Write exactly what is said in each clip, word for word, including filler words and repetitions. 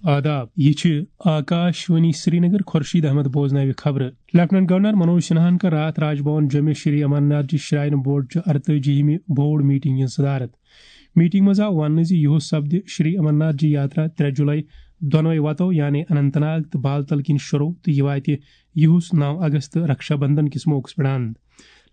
آداب، یہِ چھِ آکاش وانی سرینگر۔ خورشید احمد بوزناوِ خبرٕ۔ لیفٹیننٹ گورنر منوج سنہاہن کٔر راتھ راج بھون جوٚمہِ شری امرناتھ جی شراین بورڈ چہِ ارتٲجی ہِمہِ بوٚڑ میٹنگ ہٕنٛز صدارت۔ میٹنگ منٛز آو وننہٕ زِ یُہُس سپدِ شری امرناتھ جی یاترا ترٛےٚ جولائی دۄنوَے وتو یعنی اننت ناگ تہٕ بالتل کِنۍ شروع تہٕ یہِ واتہِ یُہُس نو اگست رکشا بندھن کِس موقعس پٮ۪ٹھ اند۔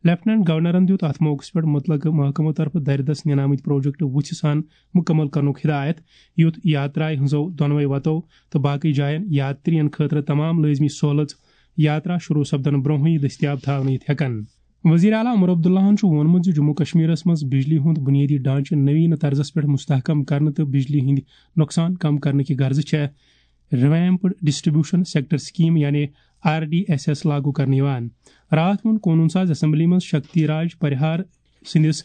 لیفٹیننٹ گورنرن دیُت اتھ موقعس پٮ۪ٹھ مُتعلقہٕ محکمو طرفہٕ دردس نِنہٕ آمٕتۍ پروجیکٹ وُژھِ سان مُکمل کرنُک ہدایت، یُتھ یاترایہِ ہٕنٛزو دۄنوَے وتو تہٕ باقٕے جاین یاترین خٲطرٕ تمام لٲزمی سہولژ یاترا شروع سپدن برونٛہٕے دٔستیاب تھاونہٕ یِتھ ہٮ۪کن۔ وزیر اعلیٰ عمر عبداللہن چھُ ووٚنمُت زِ جموں کشمیرس منٛز بجلی ہُنٛد بنیٲدی ڈھانچہٕ نوینہٕ طرزس پٮ۪ٹھ مستحکم کرنہٕ تہٕ بجلی ہٕنٛدۍ نۄقصان کم کرنہٕ کہِ غرضہٕ چھےٚ ریویمپڈ ڈسٹریبیوشن سیکٹر سکیم یعنی آر ڈی ایس ایس لاگو کرنہٕ یِوان۔ راتھ ووٚن قونوٗن ساز اسمبلی منٛز شکتی راج پریہار سٕنٛدِس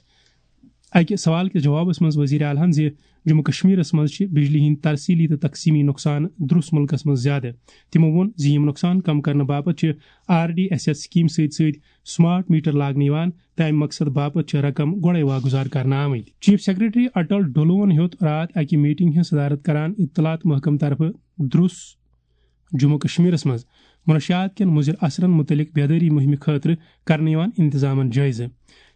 اکہِ سوال کِس جوابس منٛز وزیر اعلیٰ ہن زِ جموں کشمیرس منٛز چھِ بجلی ہٕنٛدۍ ترسیلی تہٕ تقسیمی نۄقصان درُس مُلکس منٛز زیادٕ۔ تِمو ووٚن زِ یِم نۄقصان کم کرنہٕ باپتھ چھِ R D S S scheme سۭتۍ سۭتۍ سمارٹ میٹر لاگنہٕ یِوان تہٕ امہِ مقصد باپتھ چھِ رقم گۄڈے واگُزار کرنہٕ آمٕتۍ۔ چیف سیکرٹری اٹل ڈولون ہیوٚت راتھ اکہِ میٹنگ ہٕنٛز صدارت کران اطلاعات محکمہٕ طرفہٕ درُس جموں کشمیرس منٛز منشیات کٮ۪ن مُضر اثرن مُتعلق بیدٲری مُہِمہِ خٲطرٕ کرنہٕ یِوان انتظامن جٲیزٕ۔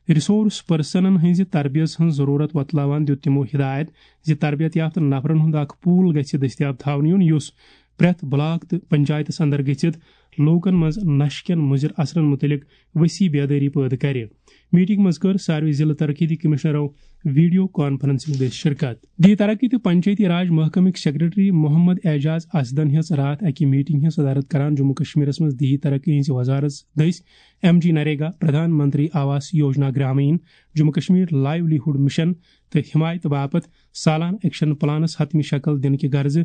ریسورس پرسنن ہٕنٛزِ تربیت ہٕنٛز ضروٗرت وۄتلاوان دیُت تِمو ہدایت زِ تربیت یافتہٕ نفرن ہُنٛد اکھ پول گژھِ دٔستیاب تھاونہٕ یُن، یُس پرٛٮ۪تھ بلاک تہٕ پنچایتس اندر گٔژھِتھ لوٗکن منٛز نشہٕ کٮ۪ن مُضر اثرن مُتعلق وسیع بیدٲری پٲدٕ کرِ۔ میٹنگ منٛز کٔر ساروٕے ضلعہٕ ترقیتی کمشنرو ویڈیو کانفرنسنگ دٔسۍ شرکت۔ دیہی ترقی تہٕ پنچایتی راج محکمٕکۍ سیکرٹری محمد اعجاز اسدن ہیٚژ راتھ اکہِ میٹنگ ہٕنٛز صدارت کران جموں کشمیرس منٛز دیہی ترقی ہٕنٛزِ وزارت دٔسۍ M G NREGA, Pradhan Mantri Awas Yojana Gramin, Jammu Kashmir لائیولی hood mission تہٕ حمایتہٕ باپتھ سالانہٕ ایکشن پلانس حتمی شکل دِنہٕ کہِ غرضہٕ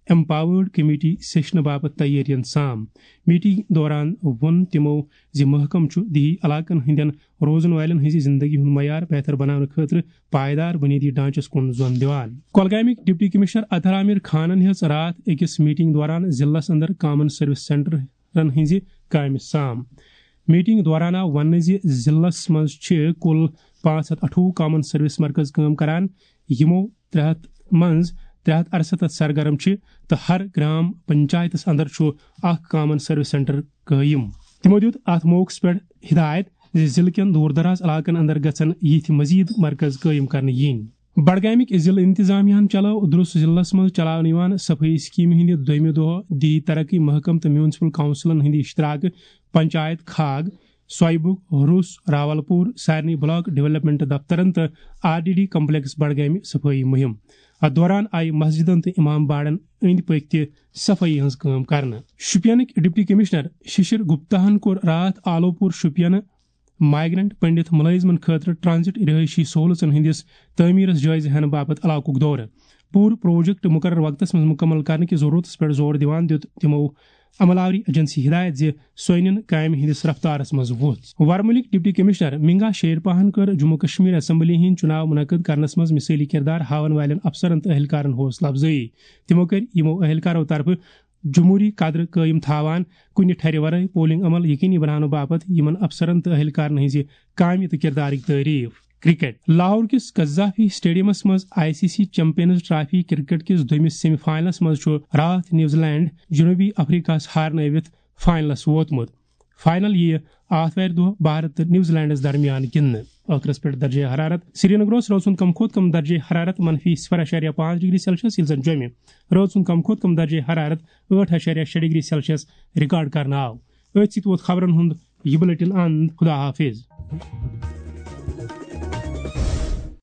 ایمپاورڈ کمیٹی سیشنہٕ باپتھ تیٲرین سام۔ میٹنگ دوران ووٚن تِمو زِ محکمہٕ چھُ دیہی علاقن ہٕنٛدٮ۪ن روزن والٮ۪ن ہٕنٛزِ زندگی ہُنٛد معیار بہتر بناونہٕ خٲطرٕ پائیدار بُنیٲدی ڈھانچس کُن زون دِوان۔ کۄلگامٕکۍ ڈپٹی کمشنر اطہر عامر خانن ہیٚژ راتھ أکِس میٹنگ دوران ضلعس اندر کامن سروس سینٹرن ہٕنٛزِ کامہِ سام۔ میٹنگ دوران آو وننہٕ زِ ضلعس منٛز چھِ کُل پانٛژھ ہتھ اَٹھووُہ کامن سروس مرکز کٲم کران، یِمو ترٛےٚ ہتھ منٛز ترٛےٚ ہتھ اَرسَتتھ سرگرم چھِ تہٕ ہر گرام پنچایتس اندر چھُ اکھ کامن سروس سینٹر قٲیِم۔ تِمو دیُت اتھ موقعس پٮ۪ٹھ ہدایت زِ ضلعہٕ کٮ۪ن دوٗر دراز علاقن اندر گژھن یِتھۍ مزید مرکز قٲیِم کرنہٕ یِنۍ۔ بڈگامٕکۍ ضلعہٕ انتظامیہ ہن چلٲو درُس ضلعس منٛز چلاونہٕ یِوان صفٲیی سکیمہِ ہٕنٛدِ دوٚیمہِ دۄہ دیہی ترقی محکمہٕ تہٕ میونسپل کونسلن ہٕنٛدِ اشتراکہٕ پنچایت کھاگ، سویبُک، روٚس، راولپور، سارنٕے بلاک ڈیولپمنٹ دفترن تہٕ آر ڈی ڈی کمپلیکس بڈگامہِ صفٲیی مُہِم۔ اتھ دوران آیہِ مسجدن تہٕ امام باڑن أنٛدۍ پٔکۍ تہِ صفٲیی ہٕنٛز کٲم کرنہٕ۔ شوپینٕکۍ ڈپٹی کمشنر ششر گپتاہن کوٚر راتھ آلو پور شوپینہٕ مائیگرنٹ پنڈت ملٲزمن خٲطرٕ ٹرانزٹ رہٲیشی سہولژن ہٕنٛدِس تعمیرس جٲیزٕ ہینہٕ باپتھ علاقُک دورٕ۔ پوٗرٕ پروجیکٹ مقرر وقتس منٛز مُکمل کرنہٕ کِس ضروٗرتس پٮ۪ٹھ زور دِوان دیُت تِمو عمل آوری ایجنسی ہدایت زِ سۄ أنِن کامہِ ہٕنٛدِس رفتارس منٛز وُژھ۔ ورمُلٕکۍ ڈپٹی کمشنر منگا شیرپاہن کٔر جموں کشمیر اسمبلی ہٕنٛدۍ چُناو منعقد کرنس منٛز مثٲلی کردار ہاون والٮ۪ن افسرن تہٕ اہلکارن حوصلہٕ افزٲیی۔ تِمو کٔرۍ یِمو اہلکارو طرفہٕ جمہوری قدر قٲیِم تھاوان کُنہِ ٹھرِ ورٲے پولنگ عمل یقینی بناونہٕ باپتھ یِمن افسرن تہٕ اہلکارن ہٕنٛزِ کامہِ تہٕ کردارٕکۍ تعریف۔ کرکٹ۔ لاہور کِس قذافی اسٹیڈیمس منٛز I C C champions trophy cricket کِس دوٚیمِس سیمی فائنلس منٛز چھُ راتھ نیوزی لینڈ جنوبی افریقہس ہارنٲوِتھ فائنلس ووتمُت۔ فائنل یِیہِ آتھوارِ دۄہ بھارت تہٕ نیوزی لینڈس درمیان گِنٛدنہٕ۔ ٲخرس پٮ۪ٹھ درجہ حرارت۔ سرینگرس رٲژ ہُنٛد کم کھۄتہٕ کم درجہ حرارت منفی صفر اعشاریہ پانٛژھ ڈگری سیلسیس، ییٚلہِ زن جوٚمہِ رٲژ ہُنٛد کم کھۄتہٕ کم درجہ حرارت ٲٹھ اعشاریہ شےٚ ڈگری سیلسیس ریکارڈ کرنہٕ آو۔ أتھۍ سۭتۍ ووت خبرن ہُنٛد یہِ بلیٹن اند۔ خدا حافظ۔